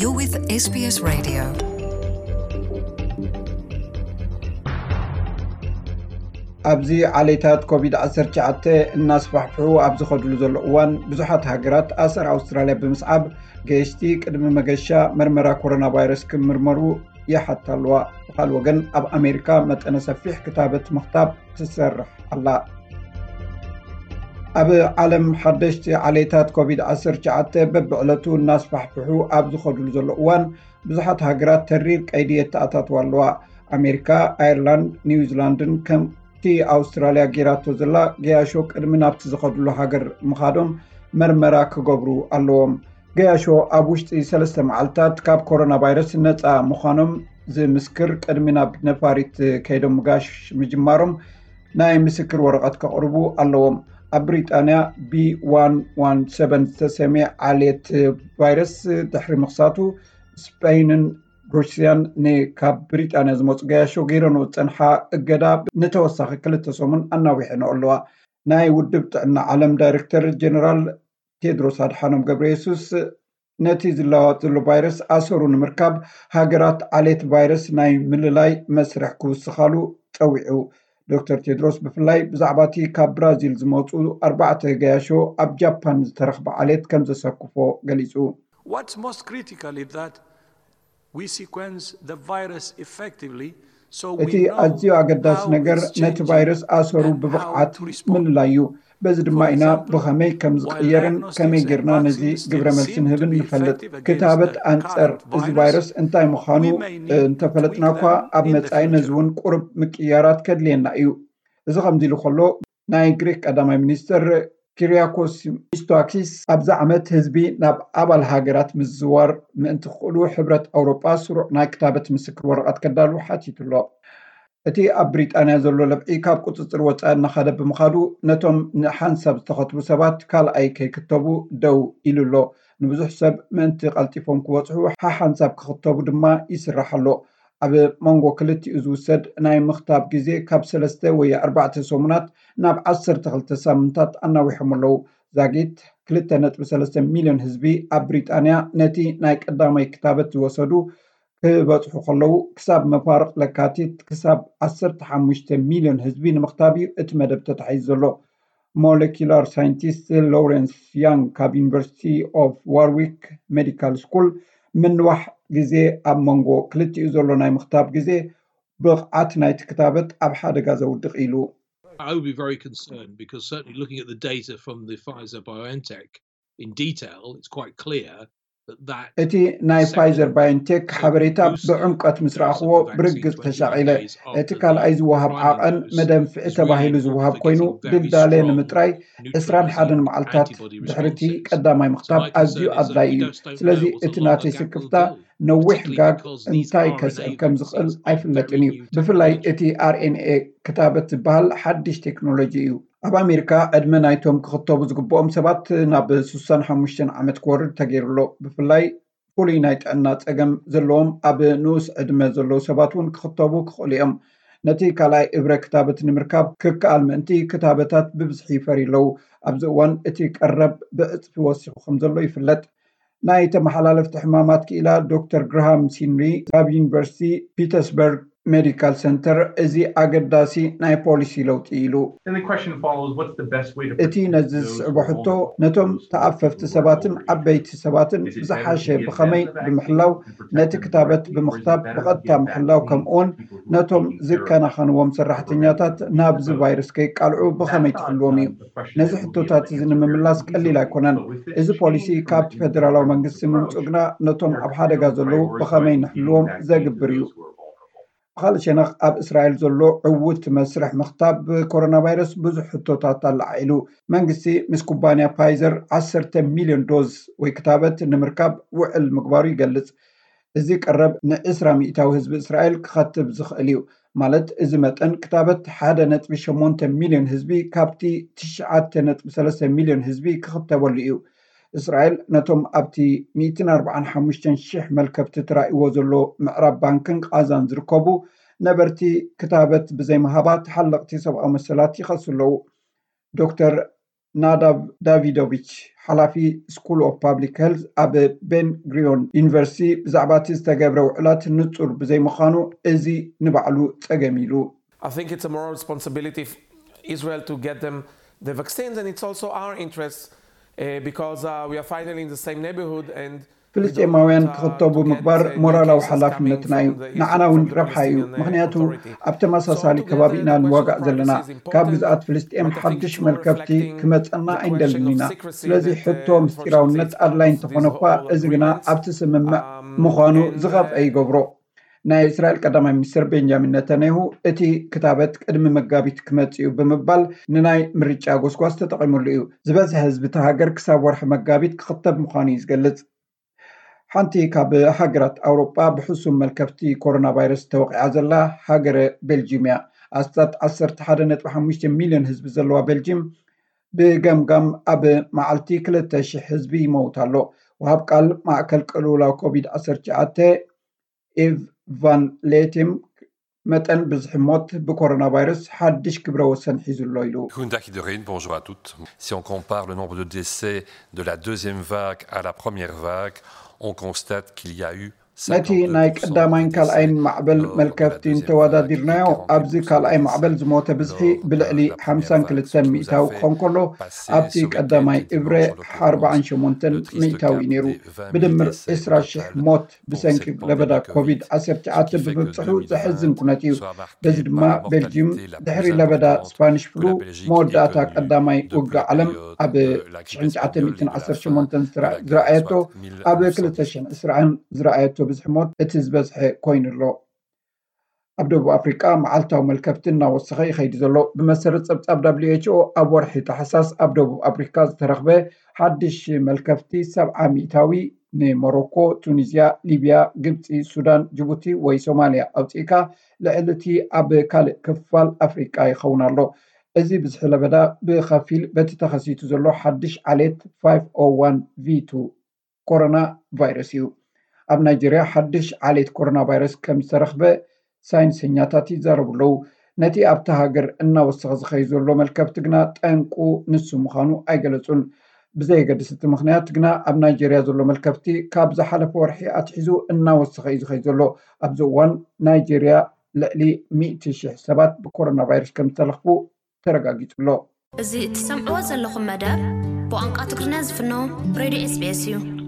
You're with S B S Radio. ኣብዚ ዓሌታት ኮቪድ ዓሰርተ ትሽዓተ እናስፋሕፍሑ ኣብ ዝኸድሉ ዘሎ እዋን፣ ብዙሓት ሃገራት ኣሰር ኣውስትራልያ ብምስዓብ፣ ገየሽቲ ቅድሚ መገሻ መርመራ ኮሮና ቫይረስ ክምርመሩ ይሓታ ኣለዋ። ብኻልእ ወገን፣ ኣብ ኣሜሪካ መጠነ ሰፊሕ ክታበት ምኽታብ ትሰርሕ ኣላ። ኣብ ዓለም ሓደሽቲ ዓሌታት ኮቪድ ዓሰርተ ትሽዓተ በብዕለቱ እናስፋሕፍሑ ኣብ ዝኸድሉ ዘሎ እዋን፣ ብዙሓት ሃገራት ተሪር ቀይዲ የተኣታትዋ ኣለዋ። ኣሜሪካ፣ ኣየርላንድ፣ ኒውዚላንድን ከምቲ ኣውስትራልያ ጌራቶ ዘላ ገያሾ ቅድሚ ናብቲ ዝኸድሉ ሃገር ምኻዶም መርመራ ክገብሩ ኣለዎም። ገያሾ ኣብ ውሽጢ ሰለስተ መዓልታት ካብ ኮሮና ቫይረስ ነፃ ምዃኖም ዝምስክር ቅድሚ ናብ ነፋሪት ከይዶም ምጋሽ ምጅማሮም ናይ ምስክር ወረቐት ከቕርቡ ኣለዎም። ኣብ ብሪጣንያ ቢ ዋን ዋን ሰቨን ዝተሰምየ ዓሌት ቫይረስ ድሕሪ ምኽሳቱ፣ ስፔይንን ሩስያን ንካብ ብሪጣንያ ዝመፁ ገያሾ ገይረንኦ ዝፀንሓ እገዳ ንተወሳኺ ክልተ ሰሙን ኣናዊሐንኦ ኣለዋ። ናይ ውድብ ጥዕና ዓለም ዳይሬክተር ጀነራል ቴድሮስ ኣድሓኖም ገብረ የሱስ፣ ነቲ ዝለዋወጥ ዘሎ ቫይረስ ኣሰሩ ንምርካብ፣ ሃገራት ዓሌት ቫይረስ ናይ ምልላይ መስርሕ ክውስኻሉ ጸዊዑ። ዶክተር ቴድሮስ ብፍላይ ብዛዕባ እቲ ካብ ብራዚል ዝመጹ ኣርባዕተ ገያሾ ኣብ ጃፓን ዝተረኽበ ዓሌት ከም ዘሰክፎ ገሊጹ። What's most critical is that we sequence the virus effectively, so we እቲ know ኣዝዩ ኣገዳሲ how ነገር it's ነቲ changing ቫይረስ ኣሰሩ and how ብብቕዓት to respond. ምልላዩ። በዚ ድማ ኢና ብኸመይ ከም ዝቕየርን ከመይ ጌርና ነዚ ግብረ መልሲ ንህብን ንፈልጥ። ክታበት ኣንጸር እዚ ቫይረስ እንታይ ምዃኑ እንተፈለጥና እኳ፣ ኣብ መጻኢ ነዚ እውን ቁሩብ ምቅያራት ከድልየና እዩ። እዚ ከምዚ ኢሉ ከሎ፣ ናይ ግሪክ ቀዳማይ ሚኒስትር ኪሪያኮስ ሚስቶታኪስ፣ ኣብዚ ዓመት ህዝቢ ናብ ኣባል ሃገራት ምዝዋር ምእንቲ ክኽእሉ፣ ሕብረት ኣውሮጳ ስሩዕ ናይ ክታበት ምስክር ወረቐት ከዳሉ ሓቲቱ ኣሎ። እቲ ኣብ ብሪጣንያ ዘሎ ለብዒ ካብ ቁጽጽር ወጻኢ እናኸደ ብምኻዱ፣ ነቶም ንሓንሳብ ዝተኸትቡ ሰባት ካልኣይ ከይክተቡ ደው ኢሉ ኣሎ። ንብዙሕ ሰብ ምእንቲ ቀልጢፎም ክበጽሑ፣ ሓሓንሳብ ክኽተቡ ድማ ይስራሕ ኣሎ። ኣብ መንጎ ክልቲኡ ዝውሰድ ናይ ምኽታብ ግዜ ካብ ሰለስተ ወይ ኣርባዕተ ሰሙናት ናብ ዓሰርተ ክልተ ሳምንታት ኣናዊሖም ኣለዉ። ዛጊት ክልተ ነጥቢ ሰለስተ ሚልዮን ህዝቢ ኣብ ብሪጣንያ ነቲ ናይ ቀዳማይ ክታበት ዝወሰዱ ክበጽሑ ከለዉ፣ ክሳብ መፋርቕ ለካቲት ክሳብ ዓሰርተ ሓሙሽተ ሚልዮን ህዝቢ ንምኽታብ እዩ እቲ መደብ ተታሒዙ ዘሎ። ሞለኪላር ሳይንቲስት ሎረንስ ያንግ ካብ ዩኒቨርሲቲ ኦፍ ዋርዊክ ሜዲካል ስኩል፣ ምንዋሕ ግዜ ኣብ መንጎ ክልቲኡ ዘሎ ናይ ምኽታብ ግዜ ብቕዓት ናይቲ ክታበት ኣብ ሓደጋ ዘውድቕ ኢሉ። I would be very concerned because certainly looking at the data from the Pfizer BioNTech in detail, it's quite clear that that እቲ ናይ ፋይዘር ባዮንቴክ ሓበሬታ ብዕምቀት ምስ ረኣኽዎ ብርግጽ ተሻቒለ። እቲ ካልኣይ ዝወሃብ ዓቐን መደንፍዒ ተባሂሉ ዝወሃብ ኮይኑ፣ ድልዳለ ንምጥራይ ዕስራን ሓደን መዓልታት ድሕሪ እቲ ቀዳማይ ምኽታብ ኣዝዩ ኣድላዪ እዩ። ስለዚ እቲ ናተይ ስክፍታ ነዊሕ ጋግ እንታይ ከስዕብ ከም ዝኽእል ኣይፍለጥን እዩ። ብፍላይ እቲ ኣርኤንኤ ክታበት ዝበሃል ሓድሽ ቴክኖሎጂ እዩ። ኣብ ኣሜሪካ ዕድመ ናይቶም ክኽተቡ ዝግብኦም ሰባት ናብ ስሳን ሓሙሽተን ዓመት ክወርድ ተገይሩ ኣሎ። ብፍላይ ፍሉይ ናይ ጥዕና ጸገም ዘለዎም ኣብ ንኡስ ዕድመ ዘለዉ ሰባት እውን ክኽተቡ ክኽእሉ እዮም። ነቲ ካልኣይ እብረ ክታበት ንምርካብ ክከኣል ምእንቲ ክታበታት ብብዝሒ ይፈርዩ ኣለዉ። ኣብዚ እዋን እቲ ቀረብ ብዕጽፊ ወሲኹ ከም ዘሎ ይፍለጥ። ናይ ተመሓላለፍቲ ሕማማት ክኢላ ዶክተር ግራሃም ሲንሪ ካብ ዩኒቨርሲቲ ፒተርስበርግ ሜዲካል ሰንተር እዚ ኣገዳሲ ናይ ፖሊሲ ለውጢ ኢሉ። Then the question follows, what's the best way to እቲ ነዚ ዝስዕቦ ሕቶ፣ ነቶም ተኣፈፍቲ ሰባትን ዓበይቲ ሰባትን ብዝሓሸ ብኸመይ ብምሕላው፣ ነቲ ክታበት ብምኽታብ ብቐጥታ ምሕላው፣ ከምኡውን ነቶም ዝከናኸንዎም ሰራሕተኛታት ናብዚ ቫይረስ ከይቃልዑ ብኸመይ ትሕልዎም እዩ። ነዚ ሕቶታት እዚ ንምምላስ ቀሊል ኣይኮነን። እዚ ፖሊሲ ካብቲ ፌደራላዊ መንግስቲ ምምፅኡ ግና ነቶም ኣብ ሓደጋ ዘለዉ ብኸመይ ንሕልዎም ዘግብር እዩ። ብኻልእ ሸነኽ፣ ኣብ እስራኤል ዘሎ ዕዉት መስርሕ ምኽታብ ኮሮና ቫይረስ ብዙሕ ሕቶታት ኣለዓዒሉ። መንግስቲ ምስ ኩባንያ ፓይዘር ዓሰርተ ሚልዮን ዶዝ ወይ ክታበት ንምርካብ ውዕል ምግባሩ ይገልጽ። እዚ ቀረብ ንዕስራ ሚእታዊ ህዝቢ እስራኤል ክኸትብ ዝኽእል እዩ። ማለት፣ እዚ መጠን ክታበት ሓደ ነጥቢ ሸሞንተ ሚልዮን ህዝቢ ካብቲ ትሽዓተ ነጥቢ ሰለስተ ሚልዮን ህዝቢ ክኽተበሉ እዩ። እስራኤል ነቶም ኣብቲ ሚእትን ኣርባዓን ሓሙሽተን ሽሕ መልከፍቲ ተራእይዎ ዘሎ ምዕራብ ባንክን ቓዛን ዝርከቡ ነበርቲ ክታበት ብዘይምሃባ ተሓለቕቲ ሰብኣዊ መሰላት ይኸሱ ኣለዉ። ዶክተር ናዳብ ዳቪዶቪች፣ ሓላፊ ስኩል ኦፍ ፓብሊክ ሄልዝ ኣብ ቤን ግሪዮን ዩኒቨርሲቲ፣ ብዛዕባ እቲ ዝተገብረ ውዕላት ንጹር ብዘይምዃኑ እዚ ንባዕሉ ጸገም ኢሉ። I think it's a moral responsibility of Israel to get them the vaccines, and it's also our interest uh, because uh, we are finally in the same neighborhood and ፍልስጤማውያን ክኽተቡ ምግባር ሞራላዊ ሓላፍነትና እዩ። ንዓና እውን ረብሓ እዩ፣ ምኽንያቱ ኣብ ተመሳሳሊ ከባቢ ኢና ንዋጋእ ዘለና። ካብ ግዝኣት ፍልስጤም ሓድሽ መልከፍቲ ክመጸና ኣይንደልን ኢና። ስለዚ ሕቶ ምስጢራውነት ኣድላይ እንተኾነ እኳ፣ እዚ ግና ኣብቲ ስምምዕ ምዃኑ ዝኸፍአ ይገብሮ። ናይ እስራኤል ቀዳማይ ሚኒስትር ቤንጃሚን ነታንያሁ፣ እቲ ክታበት ቅድሚ መጋቢት ክመጽእ እዩ ብምባል ንናይ ምርጫ ጎስጓስ ተጠቒሙሉ እዩ። ዝበዝሐ ህዝቢ እታ ሃገር ክሳብ ወርሒ መጋቢት ክኽተብ ምዃኑ እዩ ዝገልጽ። ሓንቲ ካብ ሃገራት ኣውሮጳ ብሕሱም መልከፍቲ ኮሮና ቫይረስ ተወቒዓ ዘላ ሃገረ ቤልጂም እያ። ኣስታት ዓሰርተ ሓደ ነጥቢ ሓሙሽተ ሚልዮን ህዝቢ ዘለዋ ቤልጂም ብገምጋም ኣብ መዓልቲ ክልተ ሽሕ ህዝቢ ይመውት ኣሎ። ወሃብ ቃል ማእከል ቅልውላው ኮቪድ ዓሰርተ ትሽዓተ ኢቭ ቫን ሌቲም መጠን ብዝሒ ሞት ብኮሮና ቫይረስ ሓድሽ ክብረ ወሰን ሒዙ ኣሎ ኢሉ። Goedendag iedereen, bonjour à toutes. Si on compare le nombre de décès de la deuxième vague à la première vague, on constate qu'il y a eu ነቲ ናይ ቀዳማይን ካልኣይን ማዕበል መልከፍቲ እንተወዳዲርናዮ፣ ኣብዚ ካልኣይ ማዕበል ዝሞተ ብዝሒ ብልዕሊ ሓምሳን ክልተን ሚእታዊ ክኸውን ከሎ፣ ኣብቲ ቀዳማይ እብረ ኣርባዓን ሸሞንተን ሚእታዊ እዩ ነይሩ። ብድምር ዕስራ ሽሕ ሞት ብሰንኪ ለበዳ ኮቪድ ዓሰርተ ትሽዓተ ብምብፅሑ ዘሕዝን ኩነት እዩ። በዚ ድማ ቤልጂም ድሕሪ ለበዳ ስፓኒሽ ፍሉ መወዳእታ ቀዳማይ ውግእ ዓለም ኣብ ትሽዓተ ሚእትን ዓሰርተ ሸሞንተን ዝረኣየቶ ኣብ ክልተ ሽሕን ዕስራን ዝረኣየቶ ብዝሒ ሞት እቲ ዝበዝሐ ኮይኑ ኣሎ። ኣብ ደቡብ ኣፍሪቃ መዓልታዊ መልከፍቲ እናወሰኸ ይኸይድ ዘሎ። ብመሰረት ጸብጻብ ደብሊው ኤች ኦ ኣብ ወርሒ ታሕሳስ ኣብ ደቡብ ኣፍሪካ ዝተረኽበ ሓድሽ መልከፍቲ ሰብዓ ሚእታዊ ንሞሮኮ፣ ቱኒዝያ፣ ሊብያ፣ ግብፂ፣ ሱዳን፣ ጅቡቲ ወይ ሶማልያ ኣውፂእካ ልዕሊ እቲ ኣብ ካልእ ክፋል ኣፍሪቃ ይኸውን ኣሎ። እዚ ብዝሒ ለበዳ ብኸፊል በቲ ተኸሲቱ ዘሎ ሓድሽ ዓሌት ፋይቭ ኦ ዋን ቪ ቱ ኮሮና ቫይረስ እዩ። ኣብ ናይጀርያ ሓድሽ ዓሌት ኮሮና ቫይረስ ከም ዝተረኽበ ሳይንሰኛታት ይዛረቡ ኣለዉ። ነቲ ኣብታ ሃገር እናወሰኸ ዝኸይድ ዘሎ መልከፍቲ ግና ጠንቁ ንሱ ምዃኑ ኣይገለጹን። ብዘየገድስ እቲ ምኽንያት ግና ኣብ ናይጀርያ ዘሎ መልከፍቲ ካብ ዝሓለፈ ወርሒ ኣትሒዙ እናወሰኸ እዩ ዝኸይድ ዘሎ። ኣብዚ እዋን ናይጀርያ ልዕሊ ሚእቲ ሽሕ ሰባት ብኮሮና ቫይረስ ከም ዝተለኽፉ ተረጋጊጹ ኣሎ። እዚ እትሰምዕዎ ዘለኹም መደብ ብቋንቋ ትግርኛ ዝፍኖ ሬድዮ ኤስቢኤስ እዩ።